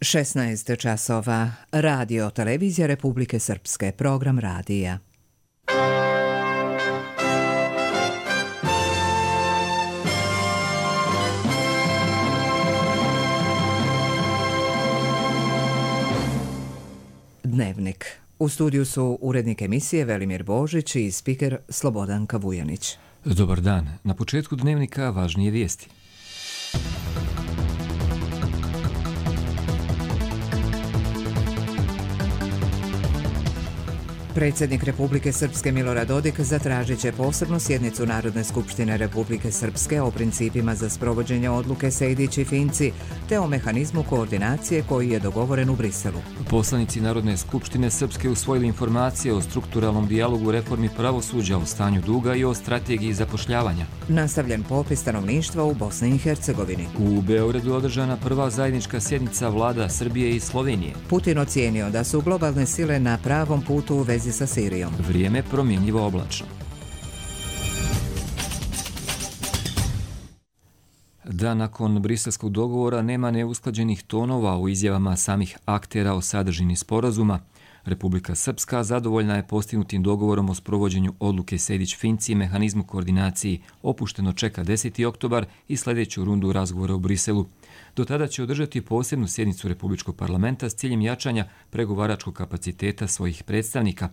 16 časova. Radio Televizija Republike Srpske. Program radija. Dnevnik. U studiju su urednik emisije Velimir Božić i spiker Slobodanka Vujanić. Dobar dan. Na početku dnevnika važnije vijesti. Predsjednik Republike Srpske Milorad Dodik zatražit će posebnu sjednicu Narodne skupštine Republike Srpske o principima za sprovođenje odluke Sejdić i Finci, te o mehanizmu koordinacije koji je dogovoren u Briselu. Poslanici Narodne skupštine Srpske usvojili informacije o strukturalnom dijalogu reformi pravosuđa, o stanju duga i o strategiji zapošljavanja. Nastavljen popis stanovništva u Bosni i Hercegovini. U Beogradu je održana prva zajednička sjednica vlada Srbije i Slovenije. Putin ocijenio da su globalne sile na pravom putu u vezi sa Sirijom. Vrijeme promjenjivo oblačno. Da nakon briselskog dogovora nema neusklađenih tonova u izjavama samih aktera o sadržini sporazuma, Republika Srpska zadovoljna je postignutim dogovorom o sprovođenju odluke Sejdić-Finci i mehanizmu koordinaciji. Opušteno čeka 10. oktobar i sljedeću rundu razgovora u Briselu. Do tada će održati posebnu sjednicu Republičkog parlamenta s ciljem jačanja pregovaračkog kapaciteta svojih predstavnika.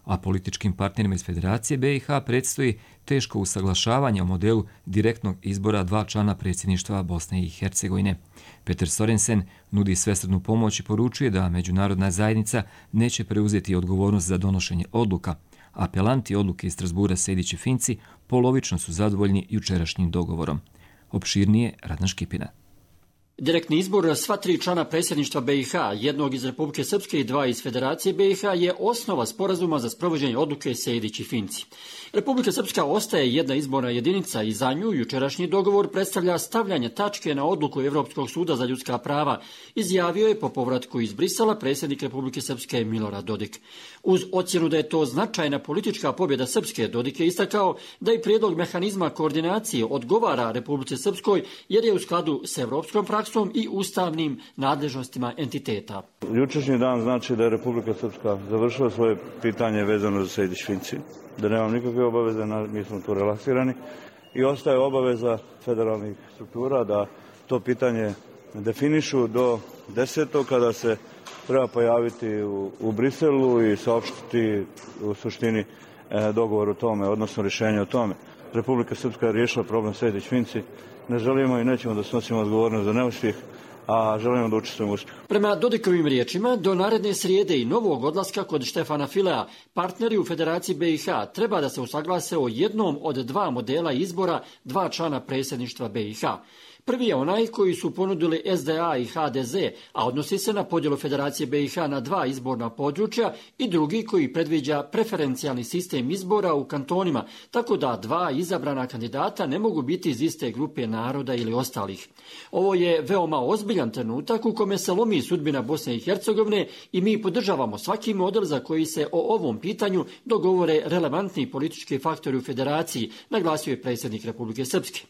A političkim partnerima iz Federacije BiH predstoji teško usaglašavanje o modelu direktnog izbora dva člana predsjedništva Bosne i Hercegovine. Peter Sorensen nudi svesrdnu pomoć i poručuje da međunarodna zajednica neće preuzeti odgovornost za donošenje odluka. Apelanti odluke iz Strasbura Sejdić i Finci polovično su zadovoljni jučerašnjim dogovorom. Opširnije Radan Škipina. Direktni izbor sva tri člana predsjedništva BiH, jednog iz Republike Srpske i dva iz Federacije BiH, je osnova sporazuma za sprovođenje odluke Sejdić i Finci. Republika Srpska ostaje jedna izborna jedinica i za nju jučerašnji dogovor predstavlja stavljanje tačke na odluku Europskog suda za ljudska prava, izjavio je po povratku iz Brisela predsjednik Republike Srpske Milorad Dodik. Uz ocjenu da je to značajna politička pobjeda Srpske, Dodik je istakao da i prijedlog mehanizma koordinacije odgovara Republici Srpskoj jer je u skladu s europskom praksom i ustavnim nadležnostima entiteta. Jučerašnji dan znači da je Republika Srpska završila svoje pitanje vezano za Sejdić-Finci, da nemam nikakve obaveze, mi smo tu relaksirani i ostaje obaveza federalnih struktura da to pitanje definišu do 10. kada se treba pojaviti u Briselu i saopštiti u suštini dogovor o tome, odnosno rješenje o tome. Republika Srpska je riješila problem Sejdić-Finci, ne želimo i nećemo da snosimo odgovornost za neuspjeh, a želimo da učestvujemo u uspjehu. Prema Dodikovim riječima, do naredne srijede i novog odlaska kod Štefana Filea, partneri u Federaciji BiH treba da se usaglase o jednom od dva modela izbora dva člana predsjedništva BiH. Prvi je onaj koji su ponudili SDA i HDZ, a odnosi se na podjelu Federacije BiH na dva izborna područja, i drugi koji predviđa preferencijalni sistem izbora u kantonima, tako da dva izabrana kandidata ne mogu biti iz iste grupe naroda ili ostalih. Ovo je veoma ozbiljan trenutak u kome se lomi sudbina Bosne i Hercegovine i mi podržavamo svaki model za koji se o ovom pitanju dogovore relevantni politički faktori u Federaciji, naglasio je predsjednik Republike Srpske.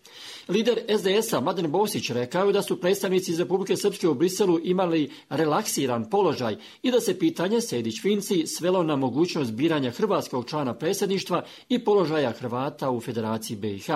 Lider SDS-a Mladen Bosić rekao da su predstavnici iz Republike Srpske u Briselu imali relaksiran položaj i da se pitanje Sejdić-Finci svelo na mogućnost biranja hrvatskog člana predsjedništva i položaja Hrvata u Federaciji BiH.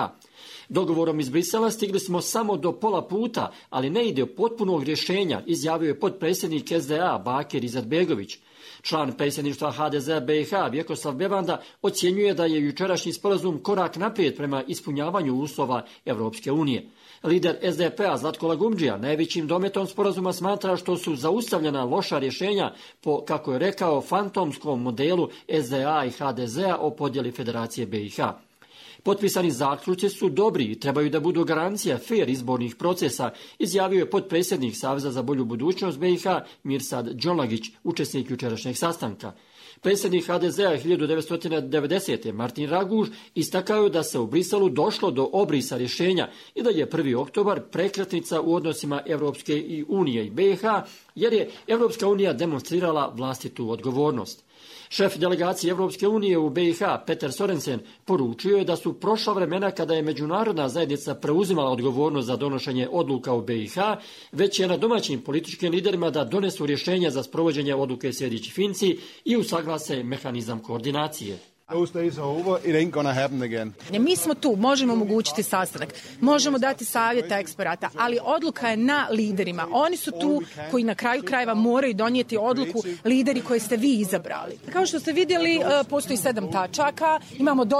Dogovorom iz Brisela stigli smo samo do pola puta, ali ne ide potpunog rješenja, izjavio je potpredsjednik SDA Bakir Izetbegović. Član predsjedništva HDZ BiH Vjekoslav Bevanda ocjenjuje da je jučerašnji sporazum korak naprijed prema ispunjavanju uslova Europske unije. Lider SDP-a Zlatko Lagumdžija najvećim dometom sporazuma smatra što su zaustavljena loša rješenja po, kako je rekao, fantomskom modelu SDA i HDZ-a o podjeli Federacije BiH. Potpisani zaključci su dobri i trebaju da budu garancija fer izbornih procesa, izjavio je potpredsjednik Saveza za bolju budućnost BiH Mirsad Džolagić, učesnik jučerašnjeg sastanka. Predsjednik HDZ-a 1990. Martin Raguž istakao da se u Briselu došlo do obrisa rješenja i da je 1. oktobar prekretnica u odnosima Europske unije i BiH, jer je Europska unija demonstrirala vlastitu odgovornost. Šef delegacije Evropske unije u BiH, Peter Sorensen, poručio je da su prošla vremena kada je međunarodna zajednica preuzimala odgovornost za donošenje odluka u BiH, već je na domaćim političkim liderima da donesu rješenja za sprovođenje odluke Sejdić-Finci i usaglase mehanizam koordinacije. Mi smo tu, možemo omogućiti sastanak, možemo dati savjeta eksperata, ali odluka je na liderima. Oni su tu koji na kraju krajeva moraju donijeti odluku, lideri koje ste vi izabrali. Kao što ste vidjeli, postoji 7 tačaka,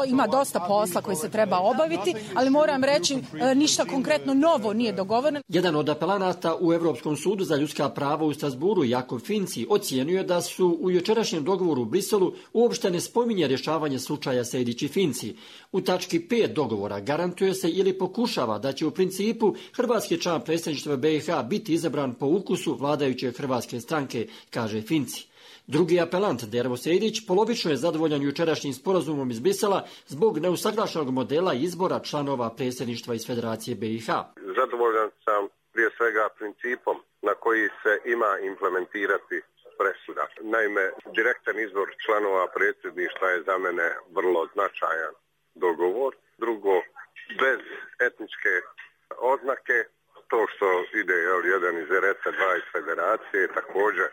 ima dosta posla koji se treba obaviti, ali moram reći, ništa konkretno novo nije dogovoreno. Jedan od apelanata u Europskom sudu za ljudska prava u Strasburu, Jakov Finci, ocijenio da su u jučerašnjem dogovoru u Briselu uopšte ne spominje rješavanje slučaja Sejdić i Finci. U tački 5 dogovora garantuje se ili pokušava da će u principu hrvatski član predsjedništva BiH biti izabran po ukusu vladajuće hrvatske stranke, kaže Finci. Drugi apelant, Dervo Sejdić, polovično je zadovoljan jučerašnjim sporazumom iz Brisela zbog neusaglašenog modela izbora članova predsjedništva iz Federacije BiH. Zadovoljan sam prije svega principom na koji se ima implementirati presuda. Naime, direktan izbor članova predsjedništva je za mene vrlo značajan dogovor. Drugo, bez etničke oznake, to što ide jedan iz RS, dva iz Federacije, također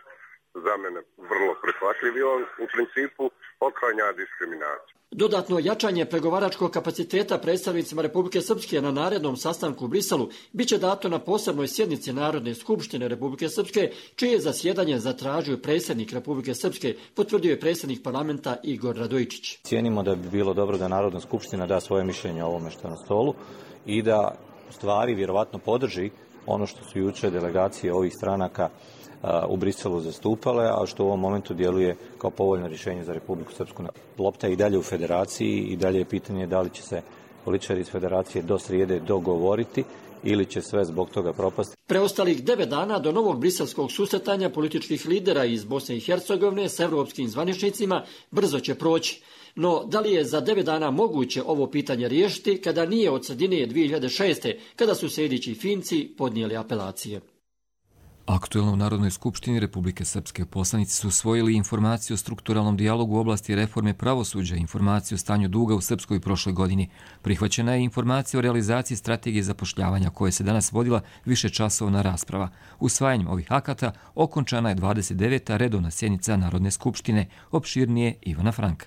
za mene vrlo prihvatljiv i on u principu otklanja diskriminaciju. Dodatno jačanje pregovaračkog kapaciteta predstavnicima Republike Srpske na narednom sastanku u Briselu biće dato na posebnoj sjednici Narodne skupštine Republike Srpske, čije zasjedanje zatražio predsjednik Republike Srpske, potvrdio je predsjednik parlamenta Igor Radojičić. Cijenimo da bi bilo dobro da Narodna skupština da svoje mišljenje o ovome što je na stolu i da u stvari vjerovatno podrži ono što su jučer delegacije ovih stranaka u Briselu zastupale, a što u ovom momentu djeluje kao povoljno rješenje za Republiku Srpsku. Lopta je i dalje u Federaciji i dalje je pitanje da li će se političari iz Federacije do srijede dogovoriti ili će sve zbog toga propasti. Preostalih 9 dana do novog briselskog susretanja političkih lidera iz Bosne i Hercegovine s evropskim zvaničnicima brzo će proći. No, da li je za 9 dana moguće ovo pitanje riješiti kada nije od sredine 2006. kada su Sejdić i Finci podnijeli apelacije? Aktuelno u Narodnoj skupštini Republike Srpske poslanici su usvojili informaciju o strukturalnom dijalogu u oblasti reforme pravosuđa i informaciju o stanju duga u Srpskoj prošle godini. Prihvaćena je informacija o realizaciji strategije zapošljavanja koje se danas vodila višečasovna rasprava. Usvajanjem ovih akata okončana je 29. redovna sjednica Narodne skupštine, opširnije Ivana Franka.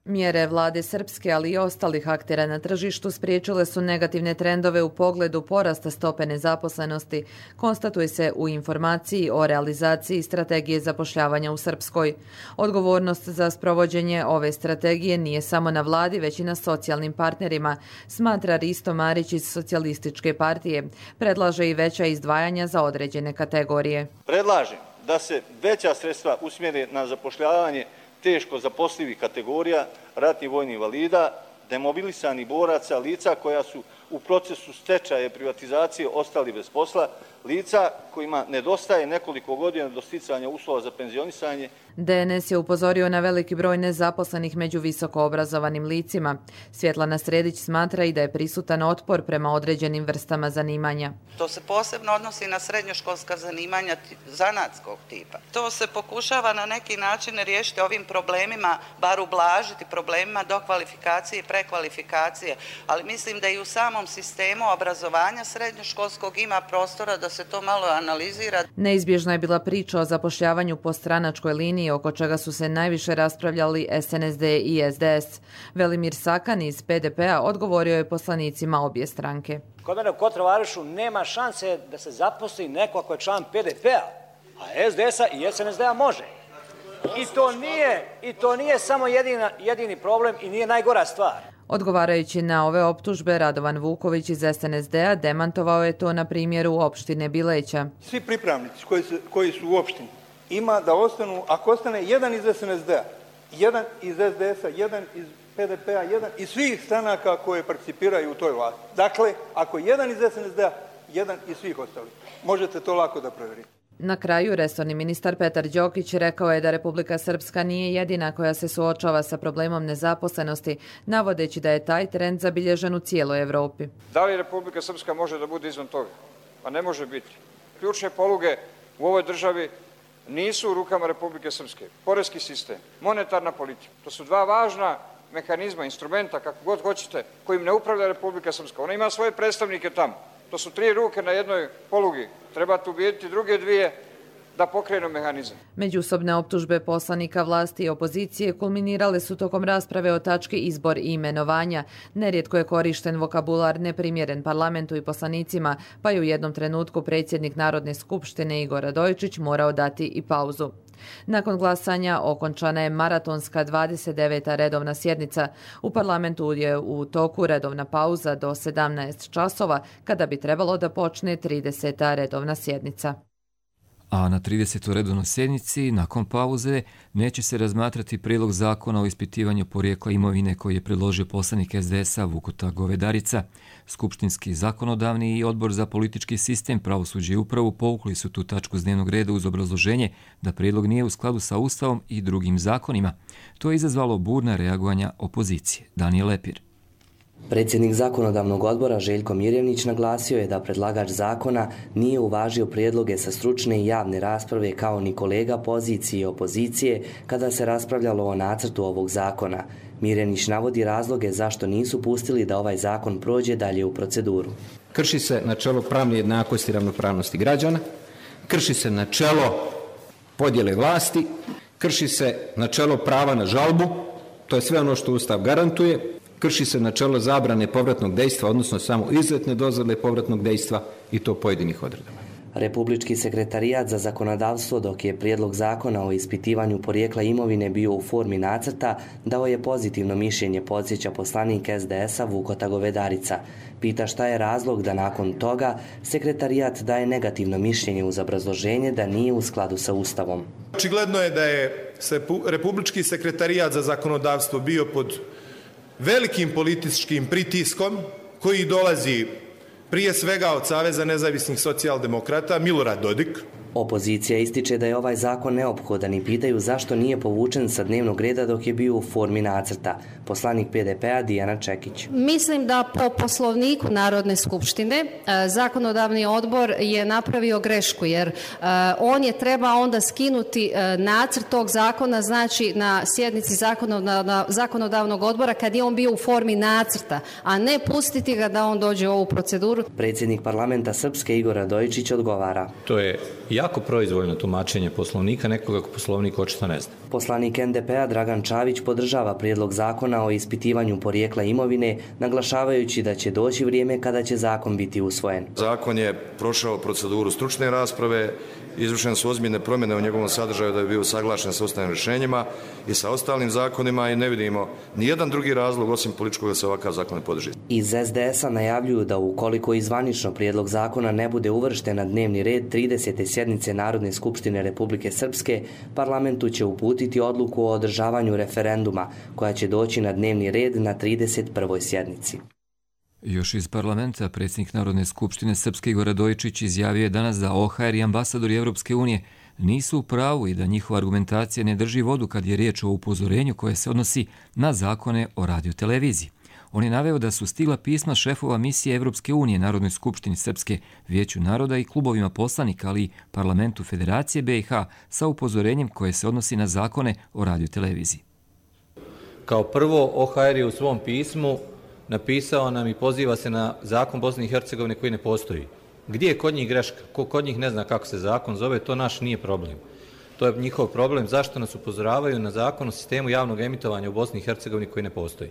Mjere vlade Srpske, ali i ostalih aktera na tržištu spriječile su negativne trendove u pogledu porasta stope nezaposlenosti, konstatuje se u informaciji o realizaciji strategije zapošljavanja u Srpskoj. Odgovornost za sprovođenje ove strategije nije samo na vladi, već i na socijalnim partnerima, smatra Risto Marić iz Socijalističke partije. Predlaže i veća izdvajanja za određene kategorije. Predlažem da se veća sredstva usmjere na zapošljavanje teško zaposlivih kategorija, ratnih vojnih invalida, demobilisanih boraca, lica koja su u procesu stečaja i privatizacije ostali bez posla, lica kojima nedostaje nekoliko godina do sticanja uslova za penzionisanje. DNS je upozorio na veliki broj nezaposlenih među visoko obrazovanim licima. Svjetlana Sredić smatra i da je prisutan otpor prema određenim vrstama zanimanja. To se posebno odnosi na srednjoškolska zanimanja zanatskog tipa. To se pokušava na neki način riješiti ovim problemima, bar ublažiti problemima dokvalifikacije i prekvalifikacije, ali mislim da i u samom sistemu obrazovanja srednjoškolskog ima prostora da se to malo analizira. Neizbježna je bila priča o zapošljavanju po stranačkoj liniji, oko čega su se najviše raspravljali SNSD i SDS. Velimir Sakan iz PDP-a odgovorio je poslanicima obje stranke. Kod mene u Kotromarišu nema šanse da se zaposli neko ako je član PDP-a, a SDS-a i SNSD-a može. I to nije samo jedini problem i nije najgora stvar. Odgovarajući na ove optužbe, Radovan Vuković iz SNSD-a demantovao je to na primjeru opštine Bileća. Svi pripravnici koji su u opštini ima da ostanu, ako ostane jedan iz SNSD-a, jedan iz SDS-a, jedan iz PDP-a, jedan iz svih stranaka koje participiraju u toj vlasti. Dakle, ako jedan iz SNSD-a, jedan iz svih ostalih. Možete to lako da provjerite. Na kraju, resorni ministar Petar Đokić rekao je da Republika Srpska nije jedina koja se suočava sa problemom nezaposlenosti, navodeći da je taj trend zabilježen u cijeloj Evropi. Da li Republika Srpska može da bude izvan toga? Pa ne može biti. Ključne poluge u ovoj državi nisu u rukama Republike Srpske. Poreski sistem, monetarna politika, to su dva važna mehanizma, instrumenta, kako god hoćete, kojim ne upravlja Republika Srpska. Ona ima svoje predstavnike tamo. To su 3 ruke na jednoj polugi. Trebate ubijediti druge 2 da pokrenu mehanizam. Međusobne optužbe poslanika vlasti i opozicije kulminirale su tokom rasprave o tački izbor i imenovanja. Nerijetko je korišten vokabular neprimjeren parlamentu i poslanicima, pa je u jednom trenutku predsjednik Narodne skupštine Igor Radojičić morao dati i pauzu. Nakon glasanja okončana je maratonska 29. redovna sjednica. U parlamentu je u toku redovna pauza do 17 časova, kada bi trebalo da počne 30. redovna sjednica. A na 30. redovnoj sjednici, nakon pauze, neće se razmatrati prijedlog zakona o ispitivanju porijekla imovine koji je predložio poslanik SDS-a Vukota Govedarica. Skupštinski zakonodavni i odbor za politički sistem, pravosuđe i upravu povukli su tu tačku s dnevnog reda uz obrazloženje da prijedlog nije u skladu sa Ustavom i drugim zakonima. To je izazvalo burna reagovanja opozicije. Danijel Lepir. Predsjednik zakonodavnog odbora Željko Mirjevnić naglasio je da predlagač zakona nije uvažio prijedloge sa stručne i javne rasprave kao ni kolega pozicije i opozicije kada se raspravljalo o nacrtu ovog zakona. Mirjevnić navodi razloge zašto nisu pustili da ovaj zakon prođe dalje u proceduru. Krši se načelo pravne jednakosti i ravnopravnosti građana, krši se načelo podjele vlasti, krši se načelo prava na žalbu, to je sve ono što Ustav garantuje, krši se načelo zabrane povratnog dejstva, odnosno samo izuzetne dozvole povratnog dejstva i to pojedinih odredaba. Republički sekretarijat za zakonodavstvo, dok je prijedlog zakona o ispitivanju porijekla imovine bio u formi nacrta, dao je pozitivno mišljenje, podsjeća poslanik SDS-a Vukota Govedarica. Pita šta je razlog da nakon toga sekretarijat daje negativno mišljenje uz obrazloženje da nije u skladu sa Ustavom. Očigledno je da je Republički sekretarijat za zakonodavstvo bio pod velikim političkim pritiskom koji dolazi prije svega od Saveza nezavisnih socijaldemokrata Milorad Dodik. Opozicija ističe da je ovaj zakon neophodan i pitaju zašto nije povučen sa dnevnog reda dok je bio u formi nacrta. Poslanik PDP-a Dijana Čekić. Mislim da po Poslovniku Narodne skupštine zakonodavni odbor je napravio grešku jer on je treba onda skinuti nacrt tog zakona, znači na sjednici zakonodavnog odbora kad je on bio u formi nacrta, a ne pustiti ga da on dođe u ovu proceduru. Predsjednik parlamenta Srpske Igor Radojičić odgovara. To je jako proizvoljno tumačenje Poslovnika, nekoga ko Poslovnik očito ne zna. Poslanik NDP-a Dragan Čavić podržava prijedlog zakona o ispitivanju porijekla imovine, naglašavajući da će doći vrijeme kada će zakon biti usvojen. Zakon je prošao proceduru stručne rasprave, izvršene su ozbiljne promjene u njegovom sadržaju da bi bio usaglašen sa ustavnim rješenjima i sa ostalim zakonima i ne vidimo nijedan drugi razlog osim političkog da se ovakav zakon ne podrži. Iz SDS-a najavljuju da ukoliko izvanično prijedlog zakona ne bude uvršten na dnevni red 30. sjednice Narodne skupštine Republike Srpske, parlamentu će uputiti odluku o održavanju referenduma koja će doći na dnevni red na 31. sjednici. Još iz parlamenta predsjednik Narodne skupštine Srpske Igor Radojičić izjavio je danas da OHR i ambasadori Europske unije nisu u pravu i da njihova argumentacija ne drži vodu kad je riječ o upozorenju koje se odnosi na zakone o radioteleviziji. On je naveo da su stigla pisma šefova misije Europske unije Narodnoj skupštini Srpske, Vijeću naroda i klubovima poslanika, ali i parlamentu Federacije BiH sa upozorenjem koje se odnosi na zakone o radioteleviziji. Kao prvo, OHR je u svom pismu napisao nam i poziva se na zakon Bosne i Hercegovine koji ne postoji. Gdje je kod njih greška? Ko kod njih ne zna kako se zakon zove, to naš nije problem. To je njihov problem zašto nas upozoravaju na zakon o sistemu javnog emitovanja u Bosni i Hercegovini koji ne postoji.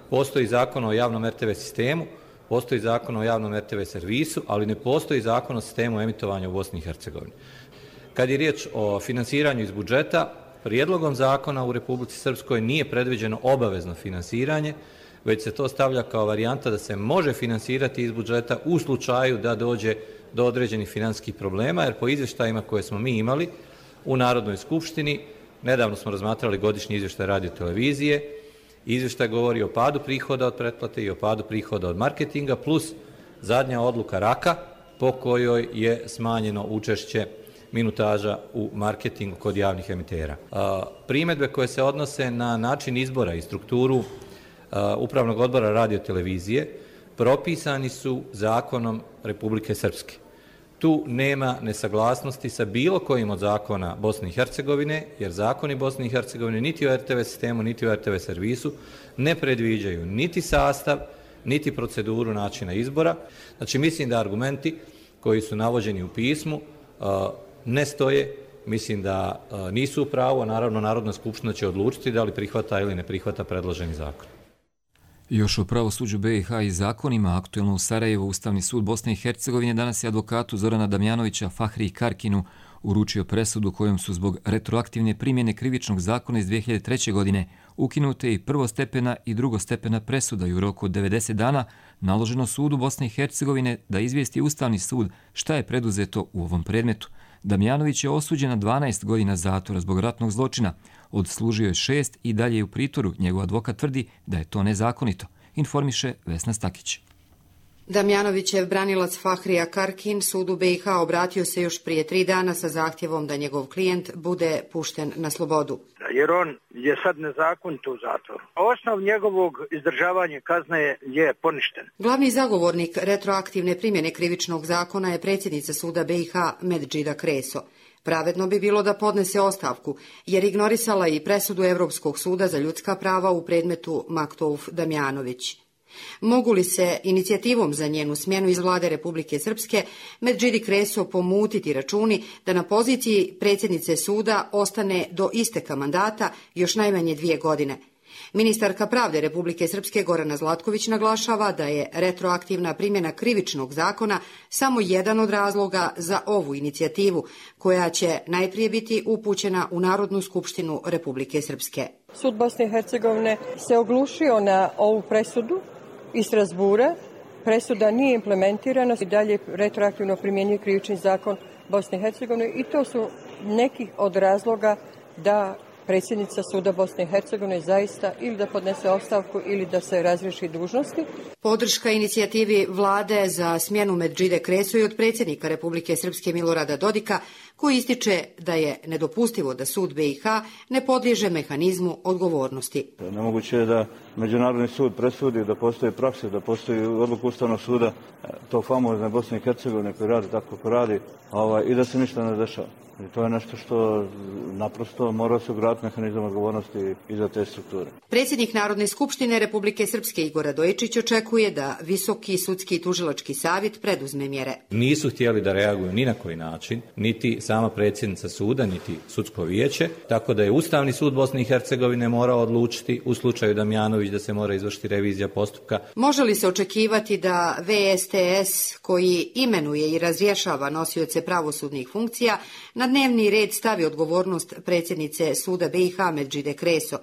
Postoji zakon o javnom RTV sistemu, postoji zakon o javnom RTV servisu, ali ne postoji zakon o sistemu emitovanja u Bosni i Hercegovini. Kad je riječ o finansiranju iz budžeta, prijedlogom zakona u Republici Srpskoj nije predviđeno obavezno finansiranje, već se to stavlja kao varijanta da se može finansirati iz budžeta u slučaju da dođe do određenih financijskih problema, jer po izvještajima koje smo mi imali u Narodnoj skupštini, nedavno smo razmatrali godišnji izvještaj radiotelevizije, izvještaj govori o padu prihoda od pretplate i o padu prihoda od marketinga, plus zadnja odluka RAK-a po kojoj je smanjeno učešće minutaža u marketingu kod javnih emitera. Primjedbe koje se odnose na način izbora i strukturu Upravnog odbora radiotelevizije propisani su zakonom Republike Srpske. tu nema nesaglasnosti sa bilo kojim od zakona Bosne i Hercegovine, jer zakoni Bosne i Hercegovine niti o RTV sistemu, niti o RTV servisu ne predviđaju niti sastav, niti proceduru načina izbora. Znači, mislim da argumenti koji su navođeni u pismu ne stoje, mislim da nisu u pravu, a naravno Narodna skupština će odlučiti da li prihvata ili ne prihvata predloženi zakon. Još o pravosuđu BiH i zakonima, aktuelno u Sarajevu, Ustavni sud Bosne i Hercegovine danas je advokatu Zorana Damjanovića Fahriji Karkinu uručio presudu kojom su zbog retroaktivne primjene krivičnog zakona iz 2003. godine ukinute i prvostepena i drugostepena presuda i u roku od 90 dana naloženo sudu Bosne i Hercegovine da izvijesti Ustavni sud šta je preduzeto u ovom predmetu. Damjanović je osuđen na 12 godina zatvora zbog ratnog zločina. Odslužio je 6 i dalje je u pritvoru. Njegov advokat tvrdi da je to nezakonito, informiše Vesna Stakić. Damjanovićev branilac Fahrija Karkin sudu BiH obratio se još prije 3 dana sa zahtjevom da njegov klijent bude pušten na slobodu. Jer on je sad nezakonito u zatvoru. Osnov njegovog izdržavanja kazne je poništen. Glavni zagovornik retroaktivne primjene krivičnog zakona je predsjednica suda BiH Medžida Kreso. Pravedno bi bilo da podnese ostavku, jer ignorisala i presudu Europskog suda za ljudska prava u predmetu Maktouf Damjanović. Mogu li se inicijativom za njenu smjenu iz vlade Republike Srpske Medžidi Kreso pomutiti računi da na poziciji predsjednice suda ostane do isteka mandata još najmanje 2 godine? Ministarka pravde Republike Srpske Gorana Zlatković naglašava da je retroaktivna primjena krivičnog zakona samo jedan od razloga za ovu inicijativu, koja će najprije biti upućena u Narodnu skupštinu Republike Srpske. Sud Bosne i Hercegovine se oglušio na ovu presudu iz Strasbura. Presuda nije implementirana i dalje retroaktivno primjenjuje krivični zakon Bosne i Hercegovine i to su neki od razloga da predsjednica suda Bosne i Hercegovine zaista ili da podnese ostavku ili da se razriješi dužnosti. Podrška inicijativi vlade za smjenu Medžide Kreso i od predsjednika Republike Srpske Milorada Dodika, koji ističe da je nedopustivo da sud BiH ne podliježe mehanizmu odgovornosti. Nemoguće je da Međunarodni sud presudi, da postoji praksa, da postoji odluka Ustavnog suda, to famozne Bosne i Hercegovine koji radi tako kako radi, i da se ništa ne dešava. I to je nešto što naprosto mora se ugraditi mehanizam odgovornosti i za te strukture. Predsjednik Narodne skupštine Republike Srpske Igor Radojičić očekuje da Visoki sudski i tužilački savjet preduzme mjere. Nisu htjeli da reaguju ni na koji način, niti sama predsjednica suda, niti sudsko vijeće, tako da je Ustavni sud Bosne i Hercegovine morao odlučiti u slučaju Damjanović da se mora izvršiti revizija postupka. Može li se očekivati da VSTS, koji imenuje i razrješava nosioce pravosudnih funkcija, na dnevni red stavi odgovornost predsjednice suda BiH Medžide Kreso?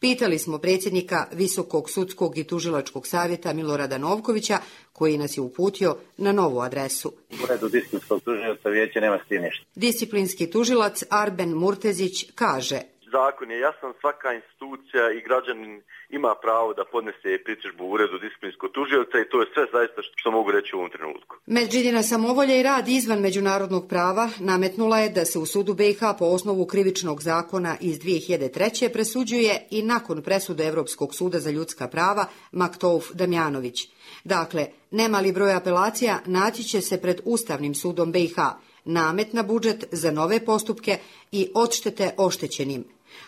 Pitali smo predsjednika Visokog sudskog i tužilačkog savjeta Milorada Novkovića, koji nas je uputio na novu adresu. U redu disciplinskog tužioca vijeće nema s tim ništa. Disciplinski tužilac Arben Murtezić kaže: Zakon je jasan, svaka institucija i građanin ima pravo da podnese pritužbu u uredu disciplinskog tužioca i to je sve zaista što mogu reći u ovom trenutku. Medžidina samovolja i rad izvan međunarodnog prava nametnula je da se u sudu BiH po osnovu krivičnog zakona iz 2003. presuđuje i nakon presude Europskog suda za ljudska prava Maktouf Damjanović. Dakle, nemali broj apelacija naći će se pred Ustavnim sudom BiH, namet na budžet za nove postupke i odštete oštećenim.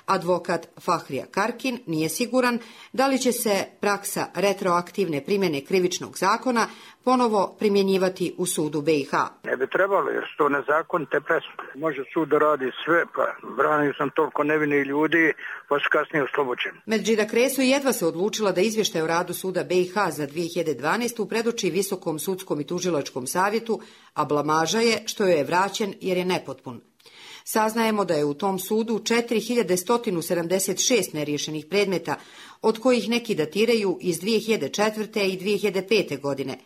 Advokat Fahrija Karkin nije siguran da li će se praksa retroaktivne primjene krivičnog zakona ponovo primjenjivati u sudu BiH. Ne bi trebalo, jer su to nezakonite presude. Može sud da radi sve, pa branio sam toliko nevinih ljudi, pa su kasnije oslobođeni. Medžida Kreso jedva se odlučila da izvještaj o radu suda BiH za 2012. predoči Visokom sudskom i tužilačkom savjetu, a blamaža je što joj je vraćen jer je nepotpun. Saznajemo da je u tom sudu 4176 neriješenih predmeta, od kojih neki datiraju iz 2004. i 2005. godine.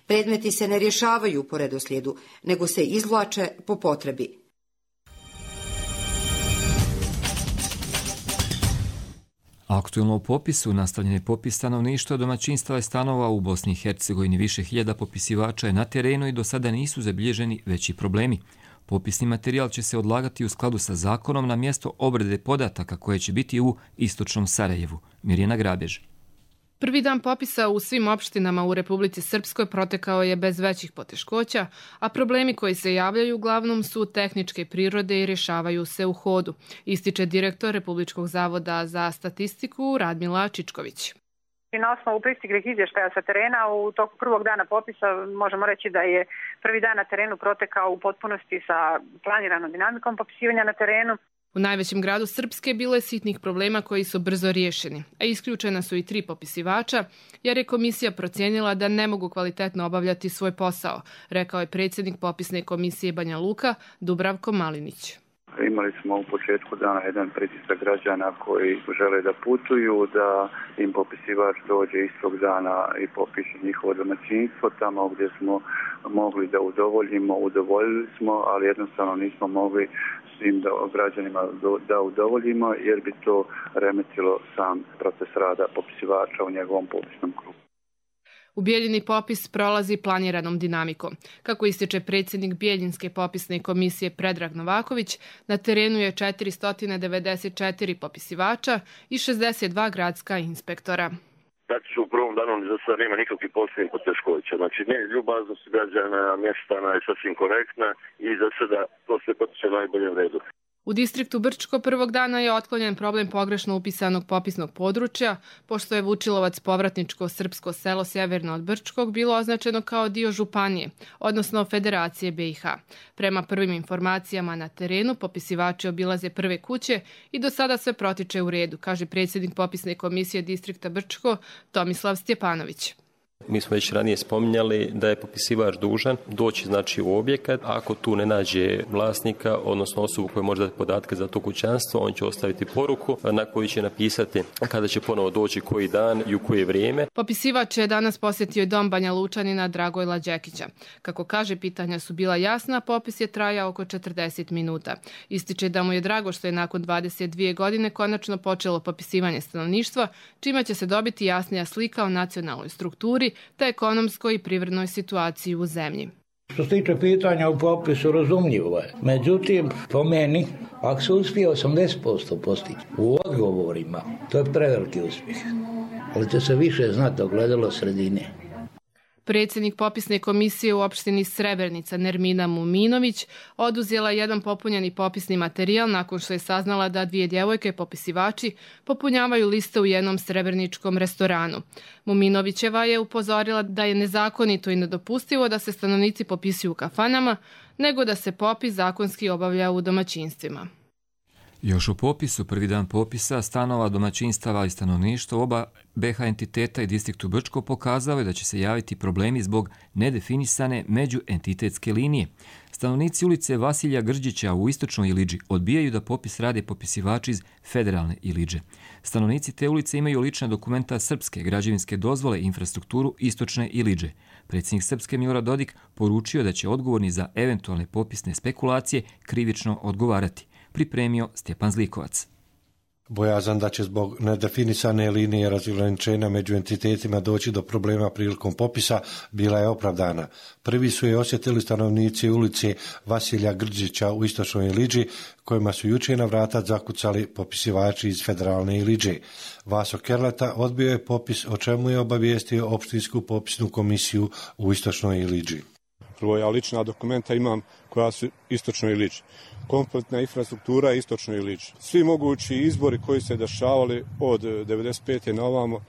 Predmeti se ne rješavaju po redoslijedu, nego se izvlače po potrebi. Aktuelno u popisu nastavljen je popis stanovništva, domaćinstava i stanova u Bosni i Hercegovini. Više hiljada popisivača je na terenu i do sada nisu zabilježeni veći problemi. Popisni materijal će se odlagati u skladu sa zakonom na mjesto obrade podataka koje će biti u istočnom Sarajevu. Mirjana Grabež. Prvi dan popisa u svim opštinama u Republici Srpskoj protekao je bez većih poteškoća, a problemi koji se javljaju uglavnom su tehničke prirode i rješavaju se u hodu, ističe direktor Republičkog zavoda za statistiku Radmila Čičković. Na osnovu pristiglih izvještaja sa terena u toku prvog dana popisa možemo reći da je prvi dan na terenu protekao u potpunosti sa planiranom dinamikom popisivanja na terenu. U najvećem gradu Srpske bilo je sitnih problema koji su brzo riješeni, a isključena su i 3 popisivača, jer je komisija procijenila da ne mogu kvalitetno obavljati svoj posao, rekao je predsjednik popisne komisije Banja Luka, Dubravko Malinić. Imali smo u početku dana jedan pritisak građana koji žele da putuju, da im popisivač dođe istog dana i popiše njihovo domaćinstvo. Tamo gdje smo mogli da udovoljili smo, ali jednostavno nismo mogli svim građanima da udovoljimo, jer bi to remetilo sam proces rada popisivača u njegovom popisnom krugu. U Bijeljini popis prolazi planiranom dinamikom. Kako ističe predsjednik Bijeljinske popisne komisije Predrag Novaković, na terenu je 494 popisivača i 62 gradska inspektora. Znači u prvom danu za sad nema nikakvih posebnih poteškoća. Znači ljubaznost građana, mještana je sasvim korektna i za sada to sve potiče najbolje u redu. U distriktu Brčko prvog dana je otklonjen problem pogrešno upisanog popisnog područja, pošto je Vučilovac povratničko srpsko selo sjeverno od Brčkog bilo označeno kao dio županije, odnosno Federacije BiH. Prema prvim informacijama na terenu, popisivači obilaze prve kuće i do sada sve protiče u redu, kaže predsjednik popisne komisije distrikta Brčko Tomislav Stjepanović. Mi smo već ranije spominjali da je popisivač dužan doći u objekat. Ako tu ne nađe vlasnika, odnosno osobu koja može dati podatke za to kućanstvo, on će ostaviti poruku na koju će napisati kada će ponovo doći koji dan i u koje vrijeme. Popisivač je danas posjetio dom Banja Lučanina Dragojla Đekića. Kako kaže, pitanja su bila jasna, popis je trajao oko 40 minuta. Ističe da mu je drago što je nakon 22 godine konačno počelo popisivanje stanovništva, čime će se dobiti jasnija slika o nacionalnoj strukturi te ekonomskoj i privrednoj situaciji u zemlji. Što se tiče pitanja u popisu, razumljivo je. Međutim, po meni, ako se uspije 80% postići u odgovorima, to je preveliki uspjeh. Ali će se više znati ogledalo sredine. Predsjednik popisne komisije u opštini Srebrenica Nermina Muminović oduzela jedan popunjeni popisni materijal nakon što je saznala da 2 djevojke popisivači popunjavaju liste u jednom srebreničkom restoranu. Muminovićeva je upozorila da je nezakonito i nedopustivo da se stanovnici popisuju u kafanama, nego da se popis zakonski obavlja u domaćinstvima. Još u popisu, prvi dan popisa stanova, domaćinstava i stanovništva oba BiH entiteta i distriktu Brčko pokazao je da će se javiti problemi zbog nedefinisane međuentitetske linije. Stanovnici ulice Vasilija Grđića u istočnoj Ilidži odbijaju da popis rade popisivači iz federalne Ilidže. Stanovnici te ulice imaju lična dokumenta srpske, građevinske dozvole i infrastrukturu istočne Ilidže. Predsjednik Srpske Milorad Dodik poručio da će odgovorni za eventualne popisne spekulacije krivično odgovarati. Pripremio Stjepan Zlikovac. Bojazan da će zbog nedefinisane linije razgraničenja među entitetima doći do problema prilikom popisa bila je opravdana. Prvi su je osjetili stanovnici ulice Vasilija Grđića u istočnoj Ilidži, kojima su jučer na vrata zakucali popisivači iz federalne Ilidže. Vaso Kerleta odbio je popis, o čemu je obavijestio opštinsku popisnu komisiju u istočnoj Ilidži. Prvo, ja lična dokumenta imam koja su istočnoj Ilidži. Kompletna infrastruktura istočnoj Ilidži. Svi mogući izbori koji se dešavali od 95. na ovamo,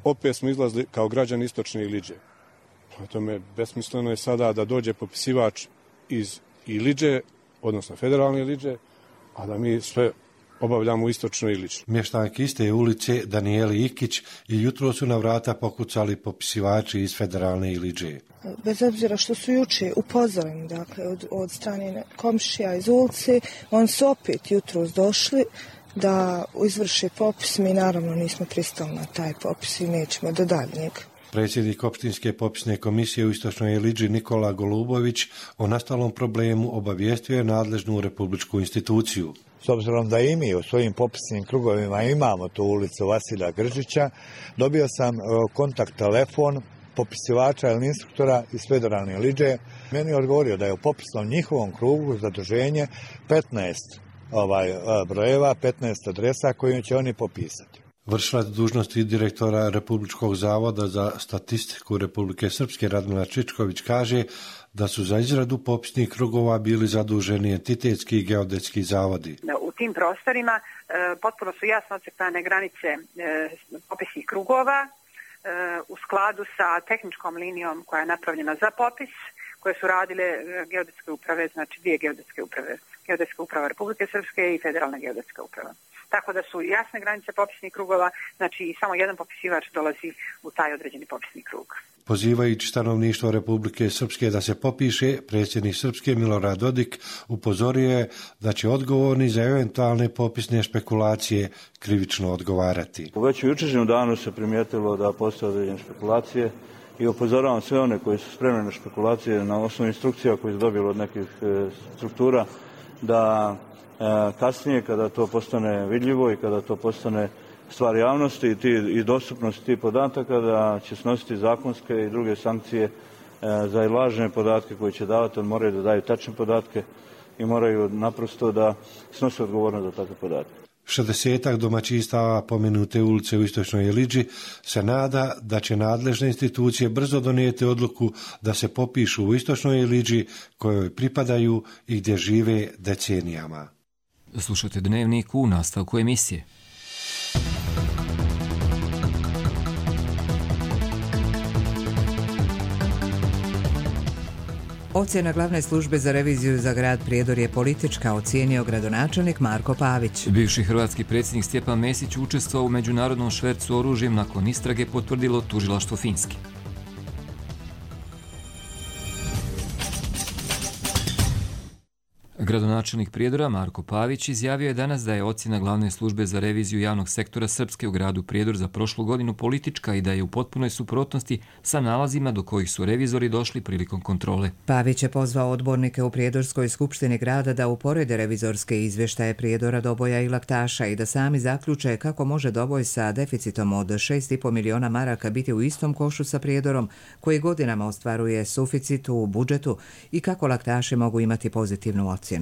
opet smo izlazili kao građani istočne Ilidže. Tome besmisleno je sada da dođe popisivač iz Ilidže, odnosno federalne Ilidže, a da mi sve obavljamo u istočnoj Ilidži. Mještanki iste ulice Danijeli Ikić i jutro su na vrata pokucali popisivači iz federalne Ilidže. Bez obzira što su juče upozoreni, dakle, od strane komšija iz ulice, oni su opet jutros došli da izvrše popis. Mi naravno nismo pristali na taj popis i nećemo do daljnjeg. Predsjednik opštinske popisne komisije u istočnoj Ilidži Nikola Golubović o nastalom problemu obavijestio je nadležnu republičku instituciju. S obzirom da i mi u svojim popisnim krugovima imamo tu ulicu Vasilija Grđića, dobio sam kontakt telefon popisivača ili instruktora iz federalne Ilidže. Meni je odgovorio da je u popisnom njihovom krugu zaduženje 15 brojeva, 15 adresa koje će oni popisati. Vršilac dužnosti direktora Republičkog zavoda za statistiku Republike Srpske Radmila Čičković kaže da su za izradu popisnih krugova bili zaduženi entitetski i geodetski zavodi. U tim prostorima potpuno su jasno ocrtane granice popisnih krugova u skladu sa tehničkom linijom koja je napravljena za popis, koje su radile geodetske uprave, znači dvije geodetske uprave. Geodetska uprava Republike Srpske i Federalna geodetska uprava. Tako da su jasne granice popisnih krugova, znači i samo jedan popisivač dolazi u taj određeni popisni krug. Pozivajući stanovništvo Republike Srpske da se popiše, predsjednik Srpske Milorad Dodik upozorio je da će odgovorni za eventualne popisne špekulacije krivično odgovarati. U već jučerašnjem danu se primijetilo da postoje određene špekulacije i upozoravam sve one koji su spremni na špekulacije na osnovu instrukcija koje su dobili od nekih struktura da kasnije kada to postane vidljivo i kada to postane stvar javnosti i dostupnosti tih podataka, da će snositi zakonske i druge sankcije za lažne podatke koje će davati, ali moraju da daju tačne podatke i moraju naprosto da snose odgovornost za takve podatke. 60 domaćinstava pomenute ulice u Istočnoj Jeliđi se nada da će nadležne institucije brzo donijeti odluku da se popišu u Istočnoj Jeliđi kojoj pripadaju i gdje žive decenijama. Slušajte Dnevnik u nastavku emisije. Ocjena glavne službe za reviziju za grad Prijedor je politička, ocijenio gradonačelnik Marko Pavić. Bivši hrvatski predsjednik Stjepan Mesić učestvovao u međunarodnom švercu oružjem nakon istrage, potvrdilo tužilaštvo Finske. Gradonačelnik Prijedora Marko Pavić izjavio je danas da je ocjena glavne službe za reviziju javnog sektora Srpske u gradu Prijedor za prošlu godinu politička i da je u potpunoj suprotnosti sa nalazima do kojih su revizori došli prilikom kontrole. Pavić je pozvao odbornike u Prijedorskoj skupštini grada da uporede revizorske izvještaje Prijedora, Doboja i Laktaša i da sami zaključe kako može Doboj sa deficitom od 6,5 miliona maraka biti u istom košu sa Prijedorom koji godinama ostvaruje suficit u budžetu i kako Laktaši mogu imati pozitivnu ocjenu.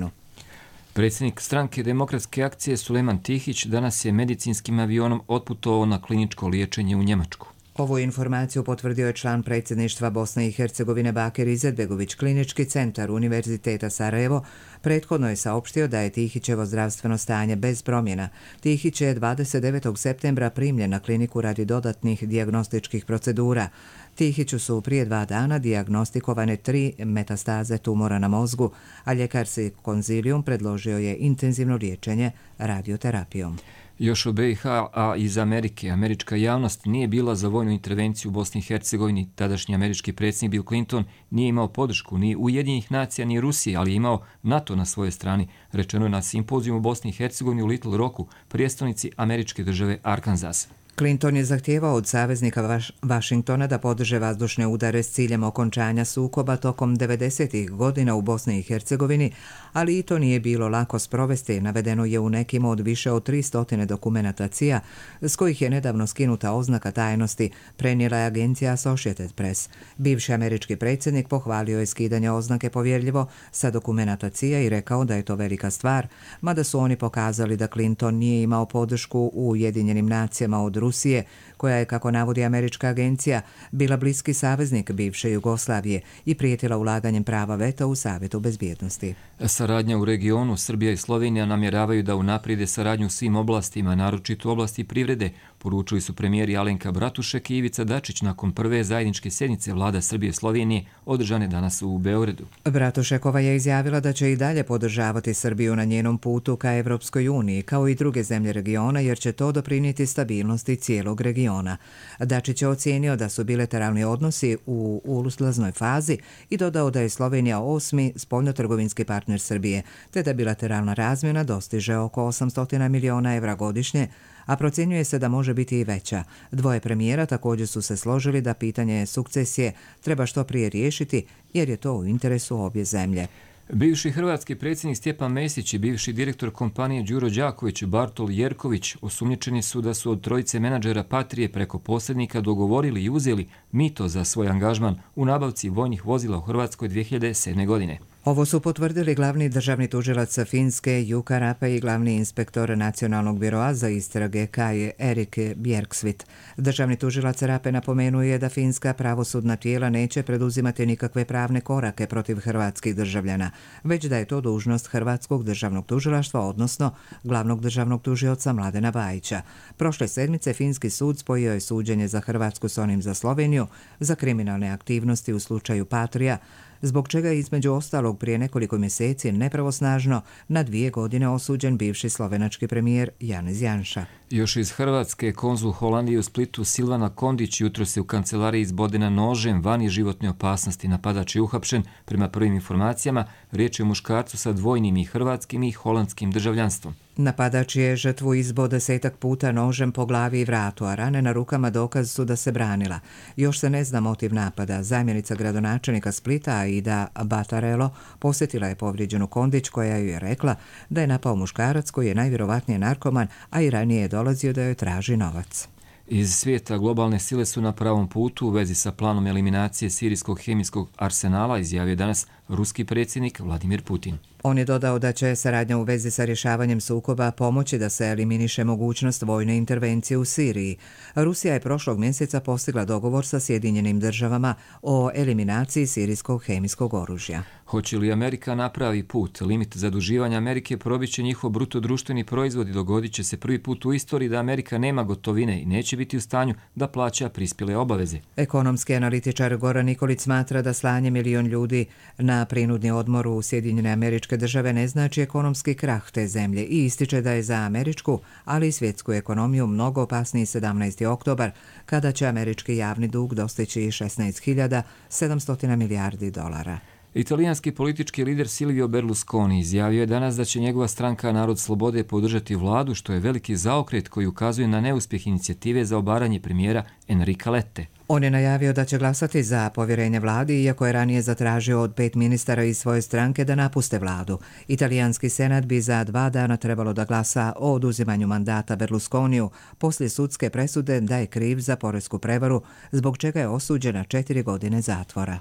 Predsjednik stranke Demokratske akcije Sulejman Tihić danas je medicinskim avionom otputovao na kliničko liječenje u Njemačku. Ovu informaciju potvrdio je član predsjedništva Bosne i Hercegovine Bakir Izetbegović. Klinički centar Univerziteta Sarajevo prethodno je saopštio da je Tihićevo zdravstveno stanje bez promjena. Tihić je 29. septembra primljen na kliniku radi dodatnih dijagnostičkih procedura. Tihiću su prije 2 dana dijagnostikovane 3 metastaze tumora na mozgu, a ljekarski konzilijum predložio je intenzivno liječenje radioterapijom. Još o BiH, a iz Amerike, američka javnost nije bila za vojnu intervenciju u Bosni i Hercegovini. Tadašnji američki predsjednik Bill Clinton nije imao podršku ni Ujedinjenih nacija ni Rusije, ali je imao NATO na svojoj strani, rečeno je na simpozijumu u Bosni i Hercegovini u Little Rocku, prijestolnici američke države Arkansas. Clinton je zahtijevao od saveznika Vašingtona da podrže vazdušne udare s ciljem okončanja sukoba tokom 90. godina u Bosni i Hercegovini, ali i to nije bilo lako sprovesti, navedeno je u nekim od više od 300 dokumenata CIA, s kojih je nedavno skinuta oznaka tajnosti, prenijela je agencija Associated Press. Bivši američki predsjednik pohvalio je skidanje oznake povjerljivo sa dokumenata CIA i rekao da je to velika stvar, mada su oni pokazali da Clinton nije imao podršku u Ujedinjenim nacijama od Rusije, koja je, kako navodi američka agencija, bila bliski saveznik bivše Jugoslavije i prijetila ulaganjem prava veta u Savjetu bezbjednosti. Saradnja u regionu, Srbija i Slovenija namjeravaju da unaprijede saradnju u svim oblastima, naročito u oblasti privrede, poručili su premijeri Alenka Bratušek i Ivica Dačić nakon prve zajedničke sjednice vlada Srbije i Slovenije održane danas u Beogradu. Bratušekova je izjavila da će i dalje podržavati Srbiju na njenom putu ka Evropskoj uniji, kao i druge zemlje regiona, jer će to doprinijeti stabilnosti cijelog regiona. Dačić je ocijenio da su bilateralni odnosi u uzlaznoj fazi i dodao da je Slovenija 8. spoljnotrgovinski partner Srbije, te da bilateralna razmjena dostiže oko 800 miliona evra godišnje, a procjenjuje se da može biti i veća. Dvoje premijera također su se složili da pitanje sukcesije treba što prije riješiti, jer je to u interesu obje zemlje. Bivši hrvatski predsjednik Stjepan Mesić i bivši direktor kompanije Đuro Đaković Bartol Jerković osumnjičeni su da su od trojice menadžera Patrije preko posrednika dogovorili i uzeli mito za svoj angažman u nabavci vojnih vozila u Hrvatskoj 2007. godine. Ovo su potvrdili glavni državni tužilac Finske Jukka Rape i glavni inspektor Nacionalnog biroa za istrage Kaj Erik Bjerksvit. Državni tužilac Rape napomenuje da finska pravosudna tijela neće preduzimati nikakve pravne korake protiv hrvatskih državljana, već da je to dužnost Hrvatskog državnog tužilaštva, odnosno glavnog državnog tužioca Mladena Bajića. Prošle sedmice finski sud spojio je suđenje za Hrvatsku s onim za Sloveniju za kriminalne aktivnosti u slučaju Patria, zbog čega je između ostalog prije nekoliko mjeseci nepravosnažno na 2 godine osuđen bivši slovenački premijer Janez Janša. Još iz Hrvatske, konzul Holandije u Splitu Silvana Kondić jutros je u kancelariji izbodena nožem vani životne opasnosti. Napadač je uhapšen. Prema prvim informacijama, riječ je o muškarcu sa dvojnim i hrvatskim i holandskim državljanstvom. Napadač je žrtvu izbo 10 puta nožem po glavi i vratu, a rane na rukama dokaz su da se branila. Još se ne zna motiv napada. Zamjenica gradonačelnika Splita, Aida Batarelo, posjetila je povrijeđenu Kondić koja ju je rekla da je napao muškarac koji je najvjerovatnije narkoman, a i ranije je dolazio da joj traži novac. Iz svijeta globalne sile su na pravom putu u vezi sa planom eliminacije sirijskog hemijskog arsenala, izjavio danas ruski predsjednik Vladimir Putin. On je dodao da će saradnja u vezi sa rješavanjem sukoba pomoći da se eliminiše mogućnost vojne intervencije u Siriji. Rusija je prošlog mjeseca postigla dogovor sa Sjedinjenim državama o eliminaciji sirijskog hemijskog oružja. Hoće li Amerika napravi put? Limit zaduživanja Amerike probiće njihov bruto društveni proizvod i dogodit će se prvi put u istoriji da Amerika nema gotovine i neće biti u stanju da plaća prispjele obaveze. Ekonomski analitičar Goran Nikolić smatra da slanje 1 milion ljudi na prinudni odmor u Sjedinjene Američke Države ne znači ekonomski krah te zemlje i ističe da je za američku, ali i svjetsku ekonomiju mnogo opasniji 17. oktobar, kada će američki javni dug dostići 16.700 milijardi dolara. Italijanski politički lider Silvio Berlusconi izjavio je danas da će njegova stranka Narod slobode podržati vladu, što je veliki zaokret koji ukazuje na neuspjeh inicijative za obaranje premijera Enrica Lette. On je najavio da će glasati za povjerenje vladi, iako je ranije zatražio od 5 ministara iz svoje stranke da napuste vladu. Italijanski senat bi za 2 dana trebalo da glasa o oduzimanju mandata Berlusconiju poslije sudske presude da je kriv za poresku prevaru, zbog čega je osuđen na 4 godine zatvora.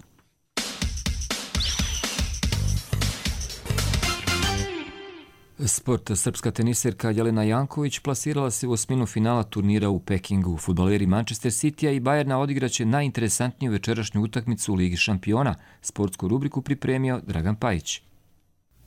Sport. Srpska teniserka Jelena Janković plasirala se u osminu finala turnira u Pekingu. Fudbaleri Manchester Citya i Bayerna odigraće najinteresantniju večerašnju utakmicu u Ligi šampiona. Sportsku rubriku pripremio Dragan Pajić.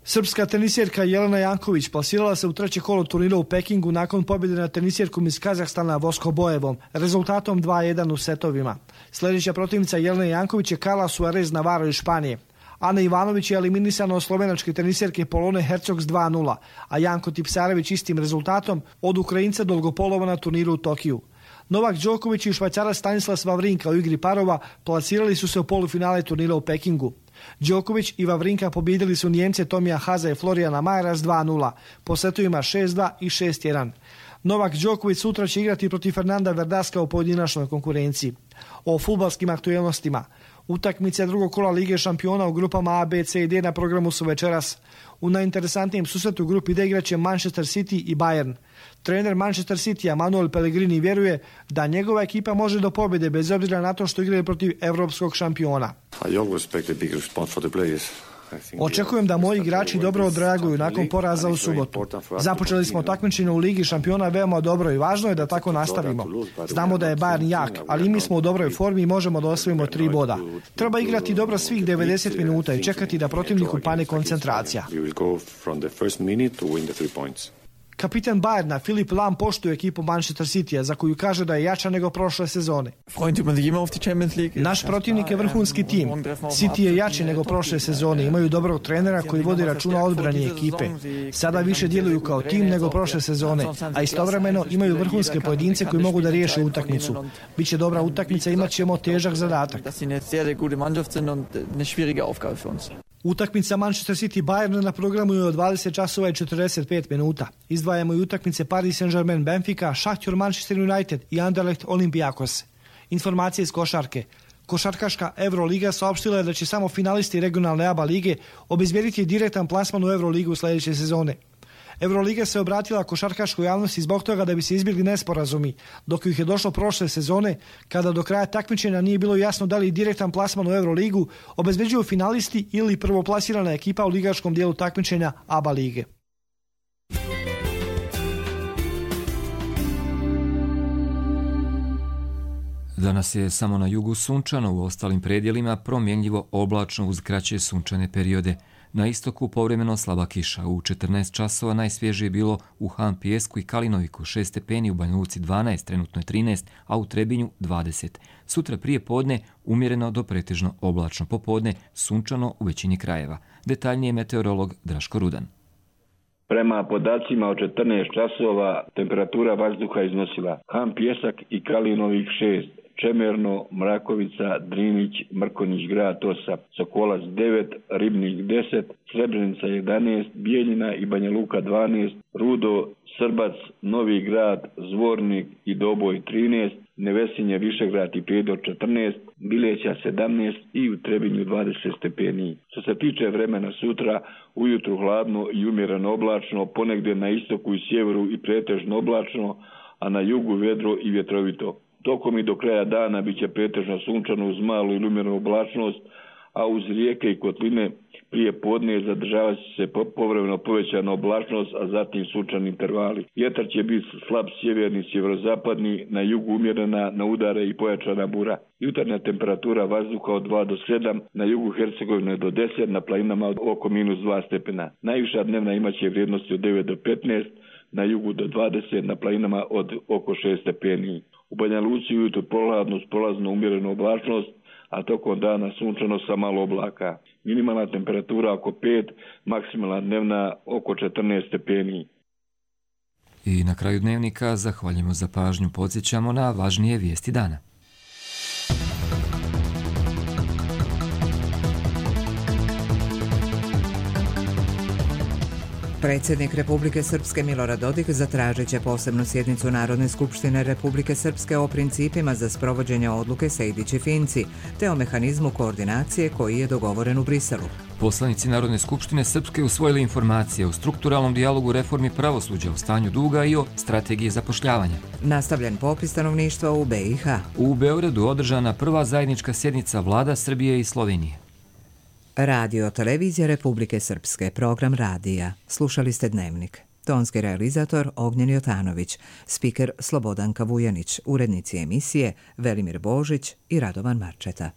Srpska teniserka Jelena Janković plasirala se u 3. kolo turnira u Pekingu nakon pobjede nad teniserkom iz Kazahstana Voskobojevom, rezultatom 2-1 u setovima. Sljedeća protivnica Jelene Janković je Carla Suarez Navarro iz Španije. Ana Ivanović je eliminisana od slovenačke teniserke Polone Hercog s 2-0, a Janko Tipsarević istim rezultatom od Ukrajinca Dolgopolova na turniru u Tokiju. Novak Đoković i Švajcarac Stanislas Wawrinka u igri parova plasirali su se u polufinale turnira u Pekingu. Đoković i Wawrinka pobijedili su Nijemce Tomija Haza i Florijana Majera s 2-0, po setovima 6-2 i 6-1. Novak Đoković sutra će igrati protiv Fernanda Verdaska u pojedinačnoj konkurenciji. O fudbalskim aktuelnostima. Utakmice drugog kola Lige šampiona u grupama A, B, C i D na programu su večeras. U najinteresantnijem susretu u grupi D igraće Manchester City i Bayern. Trener Manchester City Manuel Pellegrini vjeruje da njegova ekipa može do pobjede bez obzira na to što igraju protiv europskog šampiona. Očekujem da moji igrači dobro odreaguju nakon poraza u subotu. Započeli smo takmičenje u Ligi šampiona veoma dobro i važno je da tako nastavimo. Znamo da je Bayern jak, ali mi smo u dobroj formi i možemo da osvojimo 3 boda. Treba igrati dobro svih 90 minuta i čekati da protivniku pane koncentracija. Kapitan Bayerna Filip Lam poštuje ekipu Manchester Citya, za koju kaže da je jača nego prošle sezone. Naš protivnik je vrhunski tim. City je jači nego prošle sezone. Imaju dobrog trenera koji vodi računa o odbrani ekipe. Sada više djeluju kao tim nego prošle sezone, a istovremeno imaju vrhunske pojedince koji mogu da riješe utakmicu. Biće dobra utakmica, imat ćemo težak zadatak. Utakmica Manchester City Bayern na programu je od 20 časova i 45 minuta. Izdvajamo i utakmice Paris Saint-Germain Benfica, Šahtjor Manchester United i Anderlecht Olympiakos. Informacije iz košarke. Košarkaška Euroliga saopštila je da će samo finalisti regionalne ABA lige obezbijediti direktan plasman u Euroligu sljedeće sezone. Euroliga se obratila košarkaškoj javnosti zbog toga da bi se izbjegli nesporazumi, dok ih je došlo prošle sezone, kada do kraja takmičenja nije bilo jasno da li direktan plasman u Euroligu obezbeđuju finalisti ili prvoplasirana ekipa u ligaškom dijelu takmičenja ABA lige. Danas je samo na jugu sunčano, u ostalim predjelima promjenljivo oblačno uz kraće sunčane periode. Na istoku povremeno slaba kiša. U 14 časova najsvježije je bilo u Han Pijesku i Kalinoviku 6 stepeni, u Banja Luci 12, trenutno je 13, a u Trebinju 20. Sutra prije podne umjereno do pretežno oblačno, popodne sunčano u većini krajeva. Detaljnije meteorolog Draško Rudan. Prema podacima od 14 časova temperatura vazduha iznosila Han Pijesak i Kalinovik 6, Čemerno, Mrakovica, Drinić, Mrkonjić grad 8, Sokolac 9, Ribnik 10, Srebrenica 11, Bijeljina i Banja Luka 12, Rudo, Srbac, Novi grad, Zvornik i Doboj 13, Nevesinje, Višegrad i Prijedor 14, Bileća 17 i u Trebinju 20 stepeni. Što se tiče vremena sutra, ujutru hladno i umjereno oblačno, ponegdje na istoku i sjeveru i pretežno oblačno, a na jugu vedro i vjetrovito. Tokom i do kraja dana bit će pretežno sunčano uz malu ili umjerenu oblačnost, a uz rijeke i kotline prije podne zadržava se povremeno povećana oblačnost, a zatim sunčani intervali. Vjetar će biti slab sjeverni, sjeverozapadni, na jugu umjerena, na udare i pojačana bura. Jutarnja temperatura vazduha od 2 do 7, na jugu Hercegovine do 10, na planinama oko -2 stepena. Najviša dnevna imaće vrijednosti od 9 do 15, na jugu do 20, na planinama od oko 6 stepeni. U Banja Luci ujutro prolazno, prolazno umjerenu oblačnost, a tokom dana sunčano sa malo oblaka. Minimalna temperatura oko 5, maksimalna dnevna oko 14 stepeni. I na kraju dnevnika zahvaljujemo za pažnju, podsjećamo na važnije vijesti dana. Predsjednik Republike Srpske Milorad Dodik zatražit će posebnu sjednicu Narodne skupštine Republike Srpske o principima za sprovođenje odluke Sejdić-Finci, te o mehanizmu koordinacije koji je dogovoren u Briselu. Poslanici Narodne skupštine Srpske usvojili informacije o strukturalnom dijalogu reformi pravosuđa, o stanju duga i o strategiji zapošljavanja. Nastavljen popis stanovništva u BiH. U Beogradu održana prva zajednička sjednica vlada Srbije i Slovenije. Radio televizija Republike Srpske, program radija. Slušali ste Dnevnik. Tonski realizator Ognjen Jotanović, spiker Slobodanka Vujanić, urednici emisije Velimir Božić i Radovan Marčeta.